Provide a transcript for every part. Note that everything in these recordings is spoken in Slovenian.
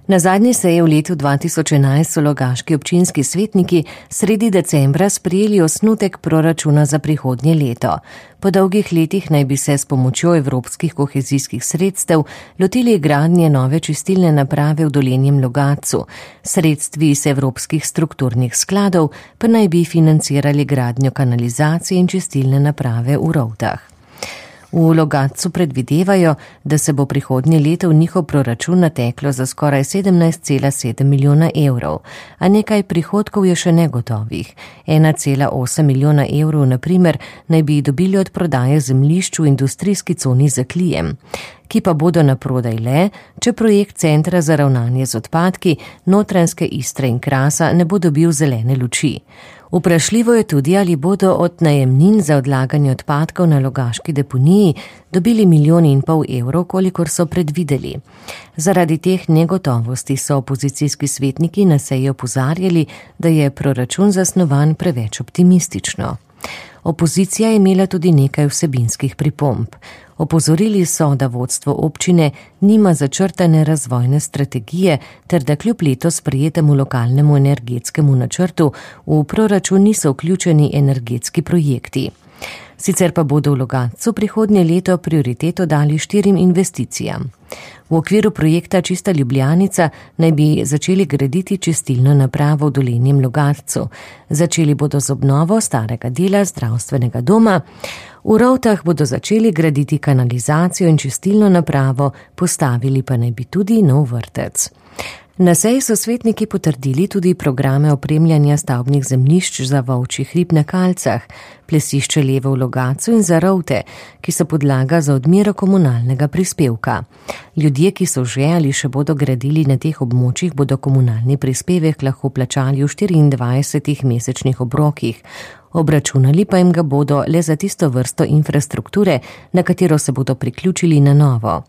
Na zadnji seji v letu 2011 so logaški občinski svetniki sredi decembra sprejeli osnutek proračuna za prihodnje leto. Po dolgih letih naj bi se s pomočjo evropskih kohezijskih sredstev lotili gradnje nove čistilne naprave v Dolenjem Logatcu. Sredstvi iz evropskih strukturnih skladov pa naj bi financirali gradnjo kanalizacije in čistilne naprave v Rovtah. V Logatcu predvidevajo, da se bo prihodnje leto v njihov proračun nateklo za skoraj 17,7 milijona evrov, a nekaj prihodkov je še negotovih. 1,8 milijona evrov, na primer, naj bi dobili od prodaje zemljišč v industrijski coni za Klijem, ki pa bodo na prodaj le, če projekt Centra za ravnanje z odpadki Notranjske Istre in Krasa ne bo dobil zelene luči. Vprašljivo je tudi, ali bodo od najemnin za odlaganje odpadkov na logaški deponiji dobili 1,5 milijona evrov, kolikor so predvideli. Zaradi teh negotovosti so opozicijski svetniki na seji opozarjali, da je proračun zasnovan preveč optimistično. Opozicija je imela tudi nekaj vsebinskih pripomb. Opozorili so, da vodstvo občine nima začrtane razvojne strategije ter da kljub letos sprejetemu lokalnemu energetskemu načrtu v proračun niso vključeni energetski projekti. Sicer pa bodo v Logatcu prihodnje leto prioriteto dali 4 investicijam. V okviru projekta Čista Ljubljanica naj bi začeli graditi čistilno napravo v Dolenjem Logatcu. Začeli bodo z obnovo starega dela zdravstvenega doma. V Rovtah bodo začeli graditi kanalizacijo in čistilno napravo, postavili pa naj bi tudi nov vrtec. Na seji so svetniki potrdili tudi programe opremljanja stavbnih zemljišč za Volčji hrib na Kalcah, Plesišče Levo v Logatcu in za Rovte, ki so podlaga za odmero komunalnega prispevka. Ljudje, ki so že ali še bodo gradili na teh območjih, bodo komunalni prispevek lahko plačali v 24 mesečnih obrokih. Obračunali pa jim ga bodo le za tisto vrsto infrastrukture, na katero se bodo priključili na novo.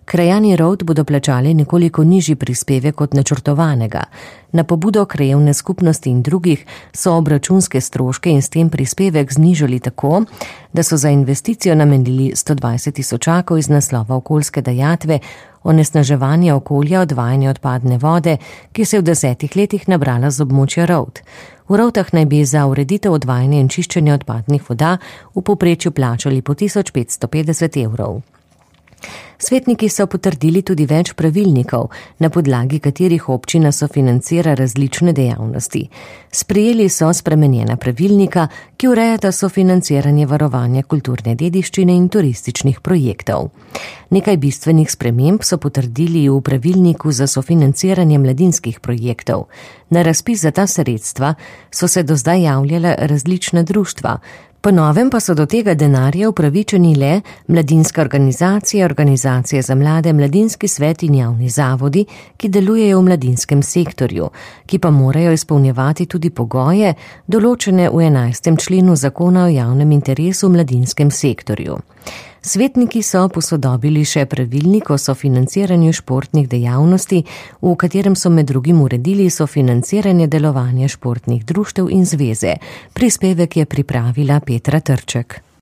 Krajani Rovt bodo plačali nekoliko nižji prispevek od načrtovanega. Na pobudo krajevne skupnosti in drugih so obračunske stroške in s tem prispevek znižali tako, da so za investicijo namenili 120 tisočakov iz naslova okoljske dajatve, onesnaževanje okolja, odvajanje odpadne vode, ki se je v 10 letih nabrala z območja Rovt. V Rovtah naj bi za ureditev odvajanja in čiščenja odpadnih voda v povprečju plačali po 1550 evrov. Svetniki so potrdili tudi več pravilnikov, na podlagi katerih občina sofinancira različne dejavnosti. Sprejeli so spremenjena pravilnika, ki urejata sofinanciranje varovanja kulturne dediščine in turističnih projektov. Nekaj bistvenih sprememb so potrdili v pravilniku za sofinanciranje mladinskih projektov. Na razpis za ta sredstva so se do zdaj javljala različna društva. Po novem pa so do tega denarja upravičeni le mladinske organizacije, organizacije za mlade, mladinski svet in javni zavodi, ki delujejo v mladinskem sektorju, ki pa morajo izpolnjevati tudi pogoje, določene v 11. členu zakona o javnem interesu v mladinskem sektorju. Svetniki so posodobili še pravilnik o sofinanciranju športnih dejavnosti, v katerem so med drugim uredili sofinanciranje delovanja športnih društev in zveze. Prispevek je pripravila Petra Trček.